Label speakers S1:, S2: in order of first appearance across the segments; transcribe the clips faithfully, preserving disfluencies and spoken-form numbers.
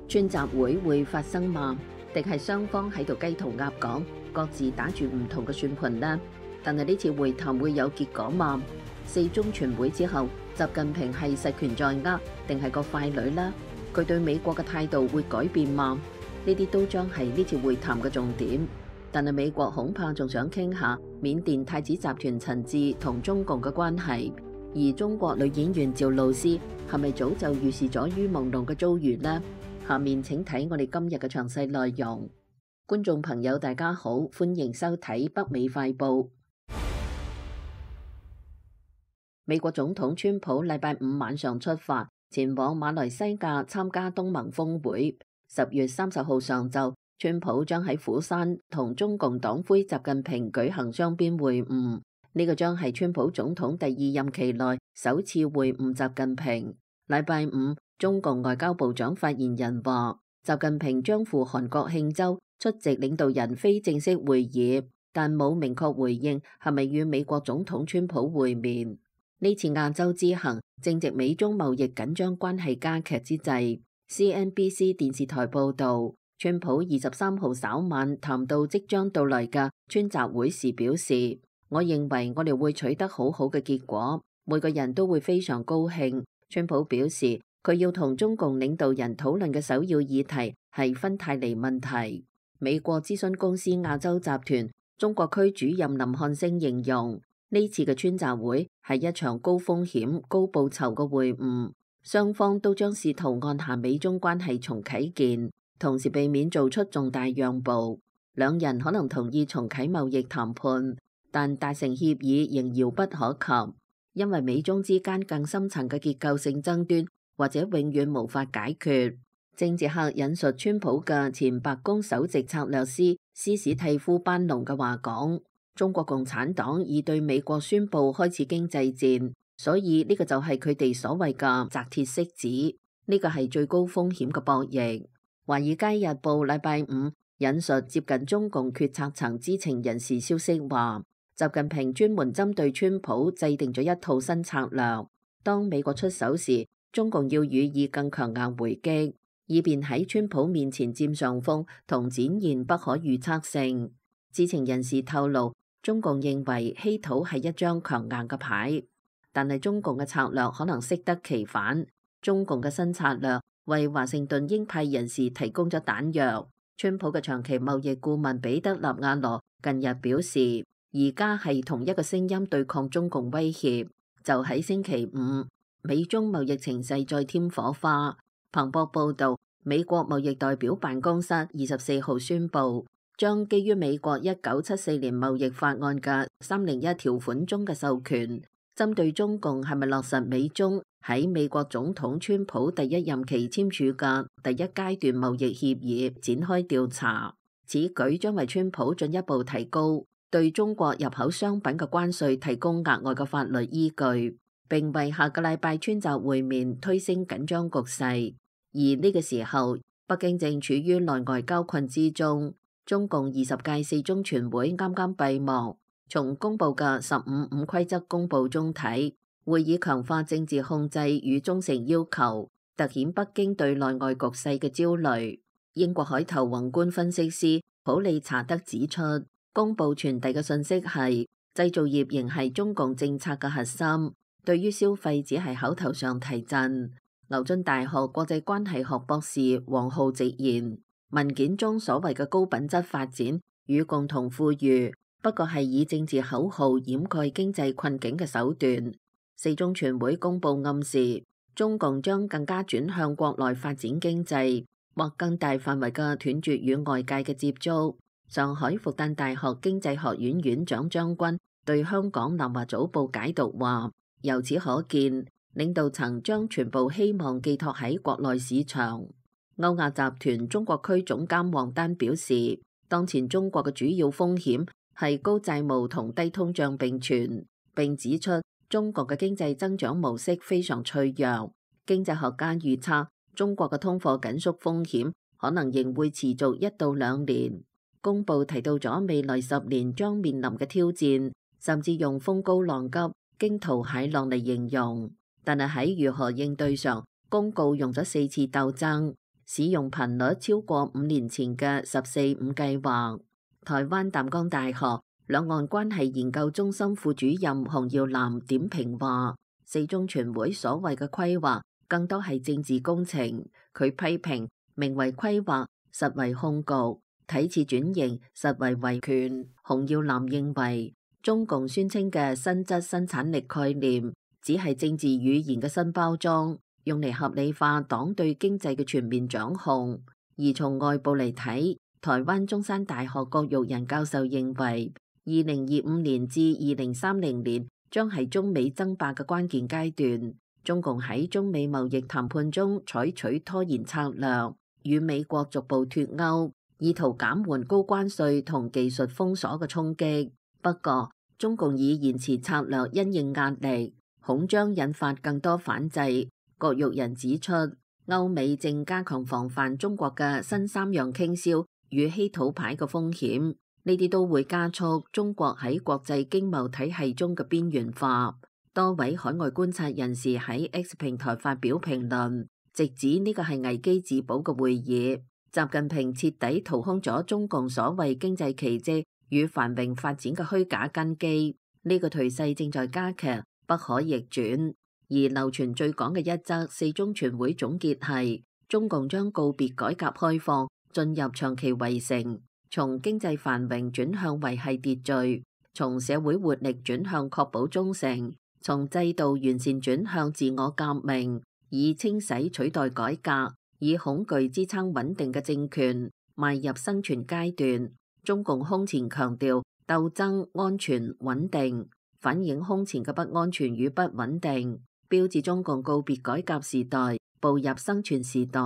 S1: 川習會會發生嗎？定係雙方喺度雞同鴨講，各自打住唔同嘅算盤呢？但係呢次會談會有結果嗎？四中全會之後，習近平係實權在握，定係個傀儡呢？佢對美國嘅態度會改變嗎？呢啲都將係呢次會談嘅重點。但係美國恐怕仲想傾下緬甸太子集團陳志同中共嘅關係，而中國女演員趙露思係咪早就預示咗於朦朧嘅遭遇呢？下面請睇我哋今日嘅詳細內容。觀眾朋友大家好，歡迎收睇北美快報。美國總統川普禮拜五晚上出發前往馬來西亞參加東盟峰會，十月三十號上晝，川普將喺釜山同中共黨魁習近平舉行雙邊會晤，呢個將係川普總統第二任期內首次會晤習近平。禮拜五，中共外交部長發言人話，習近平將赴韓國慶州出席領導人非正式會議，但冇明確回應係咪與美國總統川普會面。呢次亞洲之行正值美中貿易緊張關係加劇之際。C N B C 電視台報道，川普二十三號稍晚談到即將到來嘅川習會時表示，我認為我哋會取得好好嘅結果，每個人都會非常高興。川普表示，佢要同中共領導人討論嘅首要議題係芬太尼問題。美國諮詢公司亞洲集團中國區主任林漢星形容，呢次嘅川習會係一場高風險、高報酬嘅會晤，雙方都將試圖按下美中關係重啟鍵，同時避免做出重大讓步。兩人可能同意重啟貿易談判，但達成協議仍遙不可及，因為美中之間更深層嘅結構性爭端或者永遠無法解決。政治客引述川普嘅前白宮首席策略師斯史蒂夫班農嘅話講，中國共產黨已對美國宣布開始經濟戰，所以呢個就係佢哋所謂嘅擲鐵骰子，呢個係最高風險嘅博弈。華爾街日報禮拜五引述接近中共決策層知情人士消息話，習近平專門針對川普制定咗一套新策略，當美國出手時，中共要予以更強硬回擊，以便喺川普面前佔上風同展現不可預測性。知情人士透露，中共認為稀土係一張強硬嘅牌，但係中共嘅策略可能適得其反。中共嘅新策略為華盛頓鷹派人士提供咗彈藥。川普嘅長期貿易顧問彼得納瓦羅近日表示，而家係同一個聲音對抗中共威脅。就喺星期五，美中貿易情勢再添火花。彭博報道，美國貿易代表辦公室二十四號宣布，將基於美國一九七四年貿易法案嘅三零一條款中嘅授權，針對中共係咪落實美中喺美國總統川普第一任期簽署嘅第一階段貿易協議展開調查。此舉將為川普進一步提高對中國入口商品嘅關稅提供額外嘅法律依據，並為下個禮拜川習會面推升緊張局勢。而呢個時候，北京正處於內外交困之中。中共二十屆四中全會啱啱閉幕，從公布嘅十五五規則公佈中睇，會議強化政治控制與忠誠要求，凸顯北京對內外局勢嘅焦慮。英國海頭宏觀分析師普利查德指出，公佈傳遞嘅信息係製造業仍係中共政策嘅核心，對於消費只係口頭上提振。牛津大學國際關係學博士王浩直言，文件中所謂嘅高品質發展與共同富裕，不過係以政治口號掩蓋經濟困境嘅手段。四中全會公佈暗示，中共將更加轉向國內發展經濟，或更大範圍嘅斷絕與外界嘅接觸。上海復旦大學經濟學院院長張軍對香港南華早報解讀話，由此可見，領導層將全部希望寄託喺國內市場。歐亞集團中國區總監王丹表示，當前中國嘅主要風險係高債務同低通脹並存，並指出中國嘅經濟增長模式非常脆弱。經濟學家預測，中國嘅通貨緊縮風險可能仍會持續一到兩年。公報提到咗未來十年將面臨嘅挑戰，甚至用風高浪急、驚濤駭浪嚟形容。但係喺如何應對上，公告用咗四次鬥爭。使用頻率超過五年前嘅十四五計劃。台灣淡江大學兩岸關係研究中心副主任洪耀南點評話，四中全會所謂嘅規劃更多係政治工程。佢批評名為規劃，實為控局；睇似轉型，實為維權。洪耀南認為，中共宣稱嘅新質生產力概念，只係政治語言嘅新包裝，用嚟合理化黨對經濟嘅全面掌控。而從外部嚟睇，台灣中山大學郭玉仁教授認為，二零二五年至二零三零年將係中美爭霸嘅關鍵階段。中共喺中美貿易談判中採取拖延策略，與美國逐步脫鈎，意圖減緩高關稅同技術封鎖嘅衝擊。不過，中共以延遲策略因應壓力，恐將引發更多反制。郭玉仁指出，歐美正加強防範中國嘅新三樣傾銷與稀土牌嘅風險，呢啲都會加速中國喺國際經貿體系中嘅邊緣化。多位海外觀察人士喺 X 平台發表評論，直指呢個係危機自保嘅會議。習近平徹底掏空咗中共所謂經濟奇蹟與繁榮發展嘅虛假根基，呢個頹勢正在加劇，不可逆轉。而流傳最廣嘅一則四中全會總結係，中共將告別改革開放，進入長期圍城，從經濟繁榮轉向維繫秩序，從社會活力轉向確保忠誠，從制度完善轉向自我革命，以清洗取代改革，以恐懼支撐穩定嘅政權，邁入生存階段。中共空前強調鬥爭、安全、穩定，反映空前嘅不安全與不穩定，標誌中共告別改革時代，步入生存時代。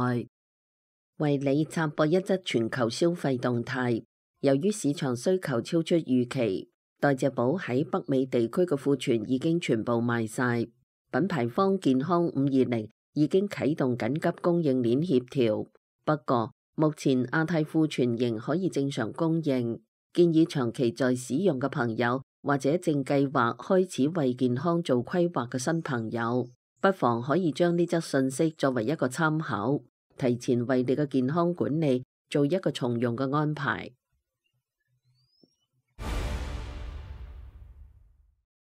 S1: 為你插播一則全球消費動態，由於市場需求超出預期，代謝寶喺北美地區嘅庫存已經全部賣晒。品牌方健康五二零已經啟動緊急供應鏈協調，不過目前亞太庫存仍可以正常供應，建議長期在使用嘅朋友或者正計劃開始為健康做規劃嘅新朋友，不妨可以將呢則信息作為一個參考，提前為你嘅健康管理做一個從容嘅安排。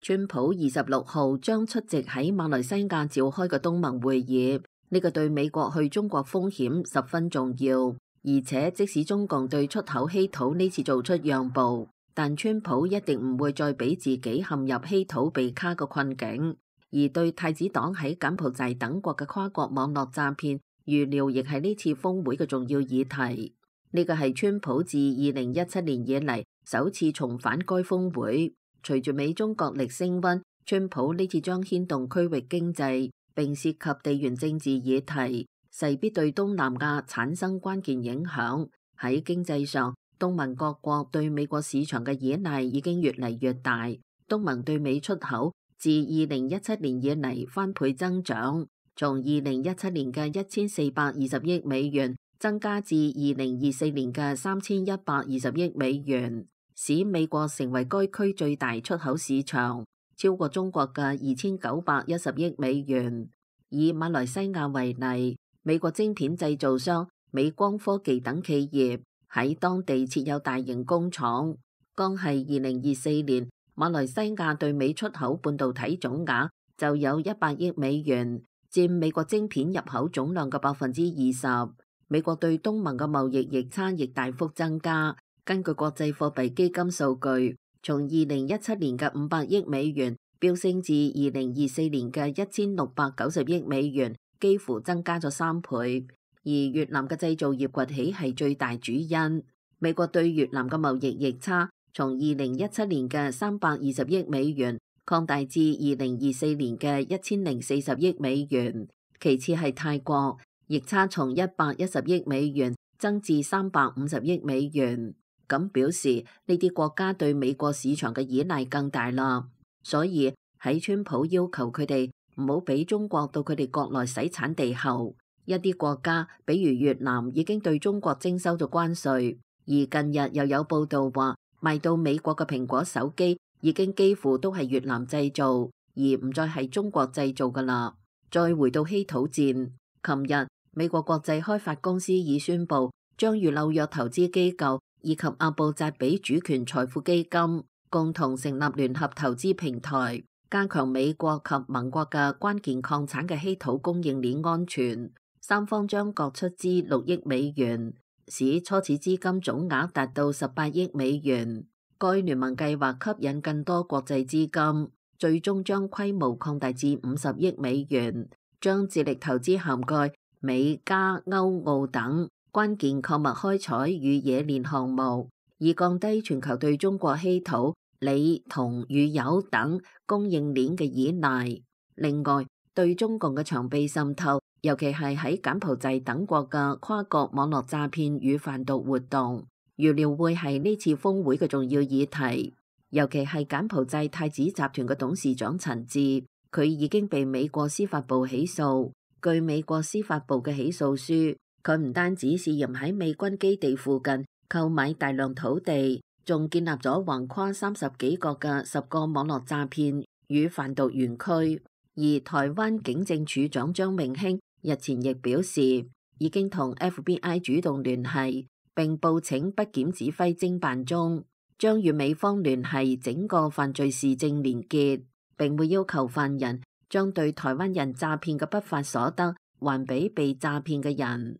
S1: 川普二十六號將出席喺馬來西亞召開嘅東盟會議，呢個對美國去中國風險十分重要。而且即使中共對出口稀土呢次做出讓步，但川普一定唔會再俾自己陷入稀土被卡嘅困境。而對太子黨喺柬埔寨等國嘅跨國網絡詐騙，預料亦係呢次峰會嘅重要議題。呢個係川普自二零一七年以嚟首次重返該峰會。隨住美中角力升溫，川普呢次將牽動區域經濟，並涉及地緣政治議題，勢必對東南亞產生關鍵影響。喺經濟上，東盟各國對美國市場嘅依賴已經越嚟越大。東盟對美出口自二零一七年以嚟翻倍增長，從二零一七年嘅一千四百二十億美元增加至二零二四年嘅三千一百二十億美元。使美國成為該區最大出口市場，超過中國嘅二千九百一十億美元。以馬來西亞為例，美國晶片製造商美光科技等企業喺當地設有大型工廠。剛係二零二四年，馬來西亞對美出口半導體總額就有一百億美元，佔美國晶片入口總量嘅百分之二十。美國對東盟嘅貿易逆差亦大幅增加。根據國際貨幣基金數據，從二零一七年嘅五百億美元飆升至二零二四年嘅一千六百九十億美元，幾乎增加咗三倍。而越南嘅製造業崛起係最大主因。美國對越南嘅貿易逆差從二零一七年嘅三百二十億美元擴大至二零二四年嘅一千零四十億美元。其次係泰國，逆差從一百一十億美元增至三百五十億美元。咁表示呢啲國家對美國市場嘅依賴更大啦，所以喺川普要求佢哋唔好俾中國到佢哋國內洗產地後，一啲國家比如越南已經對中國徵收咗關稅，而近日又有報道話賣到美國嘅蘋果手機已經幾乎都係越南製造，而唔再係中國製造噶啦。再回到稀土戰，琴日美國國際開發公司已宣布將與紐約投資機構以及阿布扎比主權財富基金共同成立聯合投資平台，加強美國及盟國嘅關鍵礦產嘅稀土供應鏈安全。三方將各出資六億美元，使初始資金總額達到十八億美元。該聯盟計劃吸引更多國際資金，最終將規模擴大至五十億美元，將致力投資涵蓋美加歐澳等關鍵礦物開採與冶煉項目，以降低全球對中國稀土、鋰、銅與鈾等供應鏈嘅依賴。另外，對中共嘅長臂滲透，尤其係喺柬埔寨等國嘅跨國網絡詐騙與販毒活動，預料會係呢次峰會嘅重要議題。尤其係柬埔寨太子集團嘅董事長陳志，佢已經被美國司法部起訴。據美國司法部嘅起訴書，佢唔單止涉嫌喺美軍基地附近購買大量土地，仲建立咗橫跨三十幾個嘅十個網絡詐騙與販毒園區。而台灣警政署長張明興日前亦表示，已經同 F B I 主動聯繫，並報請北檢指揮偵辦中，將與美方聯繫整個犯罪事證連結，並會要求犯人將對台灣人詐騙嘅不法所得還俾被詐騙嘅人。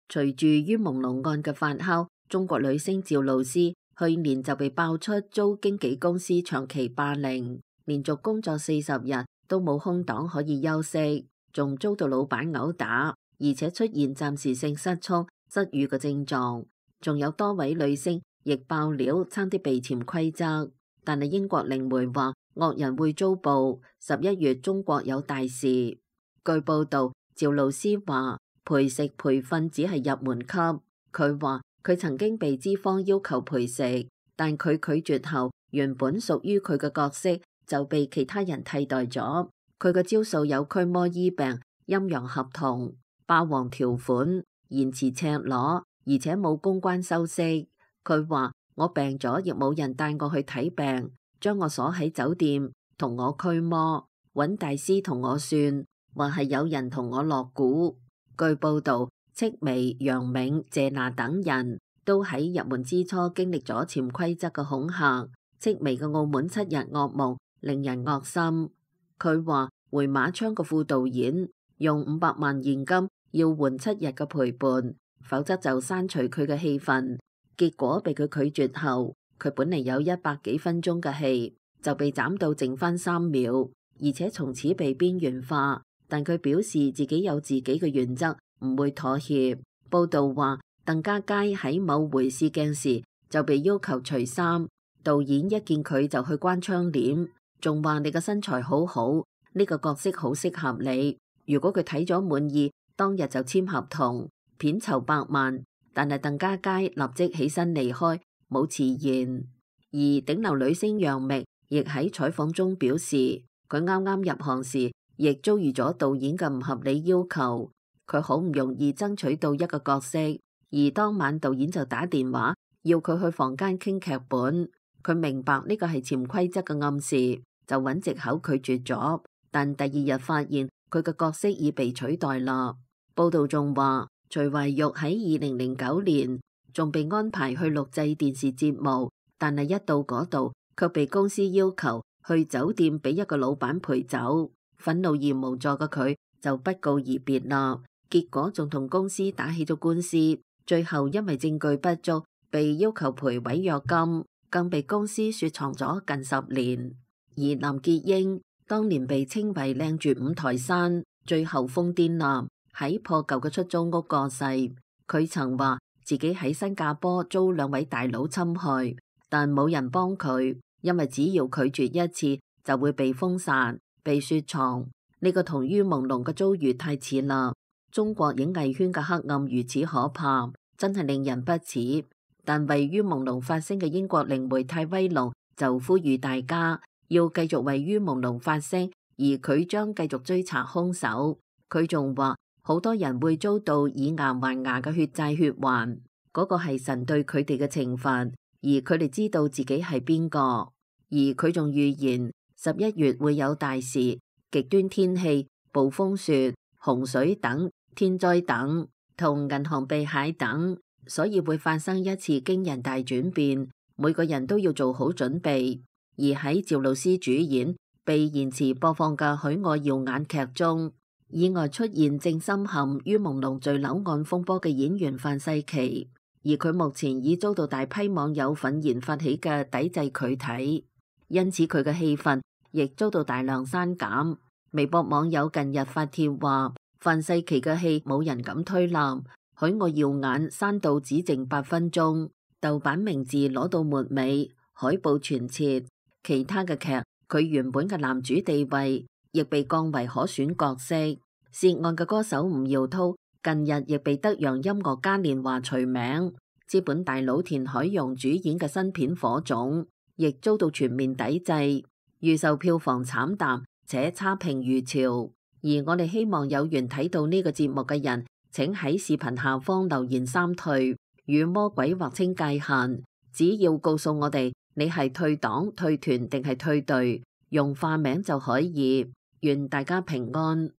S1: 隨住於朦朧案嘅發酵，中國女星趙露思去年就被爆出遭經紀公司長期霸凌，連續工作四十日都冇空檔可以休息，仲遭到老闆毆打，而且出現暫時性失聰、失語嘅症狀。仲有多位女星亦爆料，差啲被潛規則。但係英國靈媒話惡人會遭報，十一月中國有大事。據報道，趙露思話陪食陪瞓只係入門級。佢話佢曾經被資方要求陪食，但佢拒絕後，原本屬於佢嘅角色就被其他人替代咗。佢嘅招數有驅魔醫病、陰陽合同、霸王條款、言辭赤裸，而且冇公關修飾。佢話我病咗，亦冇人帶我去睇病，將我鎖喺酒店，同我驅魔，揾大師同我算，話係有人同我落蠱。據報道，戚薇、楊銘、謝娜等人都喺入門之初經歷咗潛規則嘅恐嚇。戚薇嘅澳門七日噩夢令人惡心。佢話回馬槍嘅副導演用五百萬現金要換七日嘅陪伴，否則就刪除佢嘅戲份。結果被佢拒絕後，佢本嚟有一百幾分鐘嘅戲就被斬到剩翻三秒，而且從此被邊緣化。但佢表示自己有自己嘅原則，唔會妥協。報道話鄧家佳喺某回試鏡時就被要求除衫，導演一見佢就去關窗簾，仲話你嘅身材好好，呢個角色好適合你。如果佢睇咗滿意，當日就簽合同，片酬百萬。但係鄧家佳立即起身離開，冇遲延。而頂流女星楊冪亦喺採訪中表示，佢啱啱入行時亦遭遇咗導演嘅唔合理要求，佢好唔容易爭取到一個角色，而當晚導演就打電話要佢去房間傾劇本。佢明白呢個係潛規則嘅暗示，就揾藉口拒絕咗。但第二日發現佢嘅角色已被取代啦。報道仲話，徐懷鈺喺二零零九年仲被安排去錄製電視節目，但係一到嗰度卻被公司要求去酒店俾一個老闆陪走。憤怒而無助嘅佢就不告而別啦。結果仲同公司打起咗官司，最後因為證據不足被要求賠違約金，更被公司雪藏咗近十年。而林潔瑛當年被稱為靚絕五台山，最後瘋癲啦，喺破舊嘅出租屋過世。佢曾話自己喺新加坡遭兩位大佬侵害，但冇人幫佢，因為只要拒絕一次就會被封殺、被雪藏。呢個同於朦朧嘅遭遇太似啦。中國影藝圈嘅黑暗如此可怕，真係令人不齒。但位於朦朧發聲嘅英國靈媒泰威龍就呼籲大家要繼續位於朦朧發聲，而佢將繼續追查兇手。佢仲話好多人會遭到以牙還牙嘅血債血還，嗰個係神對佢哋嘅懲罰，而佢哋知道自己係邊個。而佢仲預言十一月會有大事，極端天氣、暴風雪、洪水等天災等，同銀行被駭等，所以會發生一次驚人大轉變，每個人都要做好準備。而喺趙露思主演被延遲播放嘅《許我耀眼》劇中，意外出現正深陷於朦朧墜樓案風波嘅演員范世琦，而佢目前已遭到大批網友憤然發起嘅抵制佢睇，因此佢嘅戲份亦遭到大量刪減。微博網友近日發帖話，范世琦嘅戲冇人敢推攬，《許我耀眼》刪到只剩八分鐘，豆瓣名字攞到末尾，海報全撤。其他嘅劇，佢原本嘅男主地位亦被降為可選角色。涉案嘅歌手吳耀滔近日亦被德陽音樂嘉年華除名。資本大佬田海蓉主演嘅新片《火種》亦遭到全面抵制，預售票房慘淡且差評如潮。而我哋希望有緣睇到呢個節目嘅人，請喺視頻下方留言三退，與魔鬼劃清界限，只要告訴我哋你係退黨、退團定係退隊，用化名就可以。願大家平安。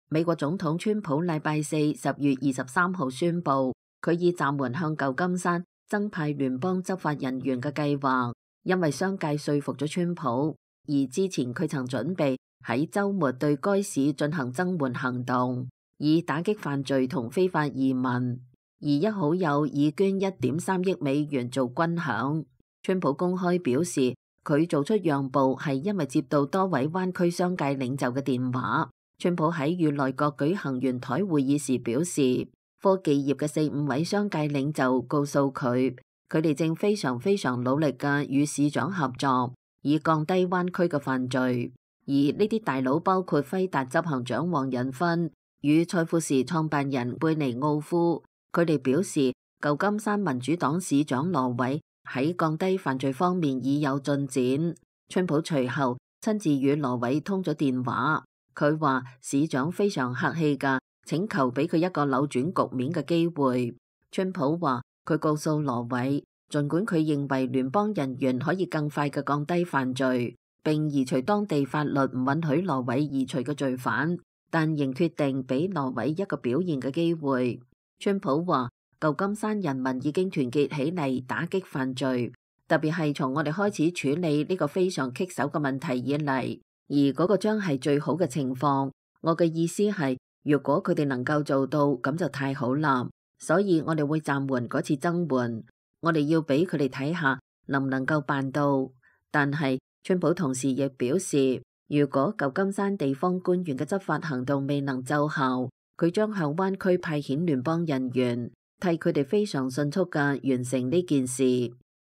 S1: 美國總統川普禮拜四十月二十三號宣布，佢已暫緩向舊金山增派聯邦執法人員嘅計劃，因為商界說服咗川普，而之前佢曾準備喺週末對該市進行增援行動，以打擊犯罪同非法移民。而一好友已捐一點三億美元做軍餉。川普公開表示，佢做出讓步係因為接到多位灣區商界領袖嘅電話。川普喺與內閣舉行圓台會議時表示，科技業嘅四五位商界領袖告訴佢，佢哋正非常非常努力嘅與市長合作，以降低灣區嘅犯罪。而呢啲大佬包括輝達執行長黃仁勳與賽富時創辦人貝尼奧夫。佢哋表示，舊金山民主黨市長羅偉喺降低犯罪方面已有進展。川普隨後親自與羅偉通咗電話，佢話市長非常客氣㗎，請求俾佢一個扭轉局面嘅機會。川普話佢告訴羅偉，儘管佢認為聯邦人員可以更快嘅降低犯罪，並移除當地法律唔允許羅偉移除嘅罪犯，但仍決定俾羅偉一個表現嘅機會。川普話，舊金山人民已經團結起嚟打擊犯罪，特別係從我哋開始處理呢個非常棘手嘅問題以嚟，而嗰個將係最好嘅情況。我嘅意思係，如果佢哋能夠做到，咁就太好啦。所以我哋會暫緩嗰次增援，我哋要俾佢哋睇下能唔能夠辦到。但係川普同時亦表示，如果舊金山地方官員嘅執法行動未能奏效，佢將向灣區派遣聯邦人員，替佢哋非常迅速嘅完成呢件事。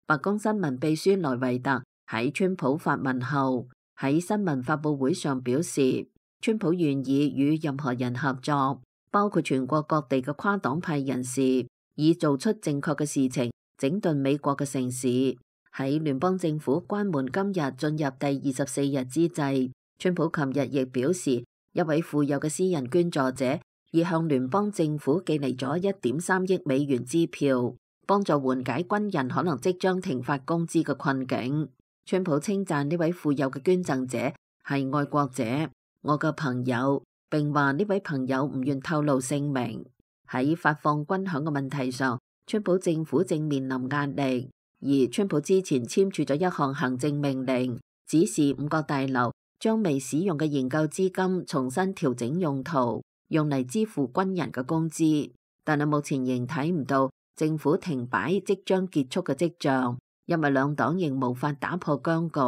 S1: 白宮新聞秘書萊維特喺川普發文後，喺新聞發佈會上表示，川普願意與任何人合作，包括全國各地嘅跨黨派人士，以做出正確嘅事情，整頓美國嘅城市。喺聯邦政府關門今日進入第二十四日之際，川普琴日亦表示，一位富有嘅私人捐助者已向聯邦政府寄嚟咗一點三億美元支票，幫助緩解軍人可能即將停發工資嘅困境。川普稱讚呢位富有嘅捐贈者係愛國者，我嘅朋友，並話呢位朋友唔願透露姓名。喺發放軍餉嘅問題上，川普政府正面臨壓力，而川普之前簽署咗一項行政命令，指示五角大樓將未使用嘅研究資金重新調整用途，用嚟支付軍人嘅工資，但係目前仍睇唔到政府停擺即將結束嘅跡象，因為兩黨仍無法打破僵局。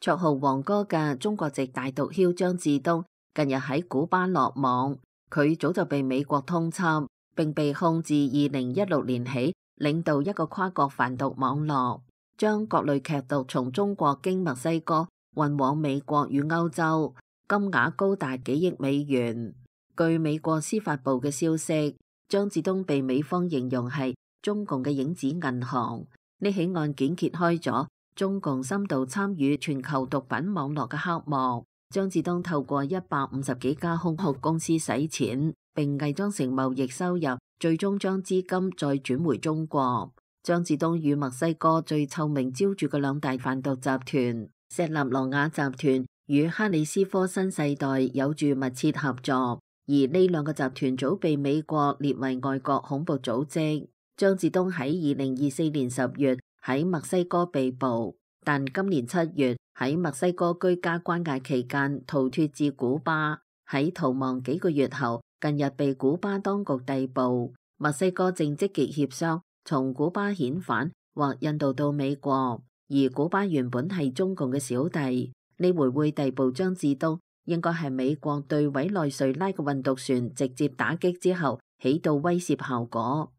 S1: 綽號黃哥嘅中國籍大毒梟張志東近日喺古巴落網，佢早就被美國通緝，並被控自二零一六年起領導一個跨國販毒網絡，將各類劇毒從中國經墨西哥運往美國與歐洲，金額高達幾億美元。據美國司法部嘅消息，張志東被美方形容係中共嘅影子銀行。呢起案件揭開咗中共深度參與全球毒品網絡嘅黑幕。張志東透過一百五十幾家空殼公司洗錢，並偽裝成貿易收入，最終將資金再轉回中國。張志東與墨西哥最臭名昭著嘅兩大販毒集團石納羅亞集團與哈里斯科新世代有住密切合作，而呢兩個集團早被美國列為外國恐怖組織。張志東喺二零二四年十月喺墨西哥被捕，但今年七月喺墨西哥居家關押期間逃脫至古巴，喺逃亡幾個月後，近日被古巴當局逮捕。墨西哥正積極協商從古巴遣返或引渡到美國，而古巴原本係中共嘅小弟，呢回會逮捕張志東，應該係美國對委內瑞拉嘅運毒船直接打擊之後起到威懾效果。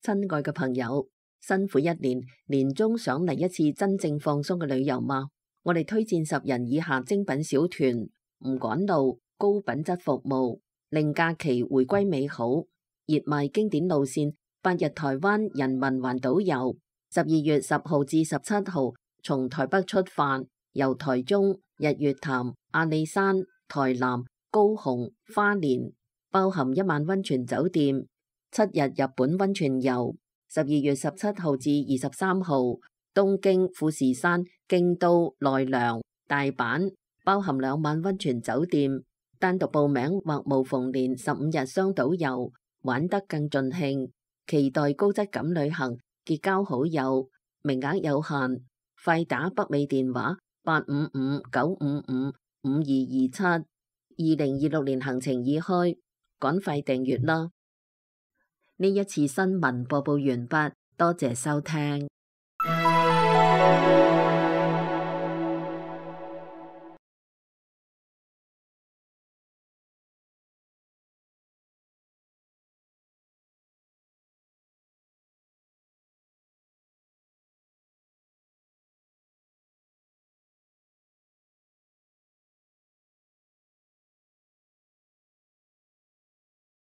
S1: 親愛嘅朋友，辛苦一年，年終想嚟一次真正放鬆嘅旅遊嗎？我哋推薦十人以下精品小團，唔趕路，高品質服務，令假期回歸美好。熱賣經典路線，八日台灣人民環島遊，十二月十號至十七號從台北出發，由台中、日月潭、阿里山、台南、高雄、花蓮，包含一晚溫泉酒店。七日日本溫泉遊，十二月十七號至二十三號，東京、富士山、京都、奈良、大阪，包含兩晚溫泉酒店。單獨報名或無縫連十五日雙島遊，玩得更盡興。期待高質感旅行，結交好友，名額有限，快打北美電話八五五九五五五二二七。二零二六年行程已開，趕快訂閱啦！呢一次新聞播報完畢，多謝收聽。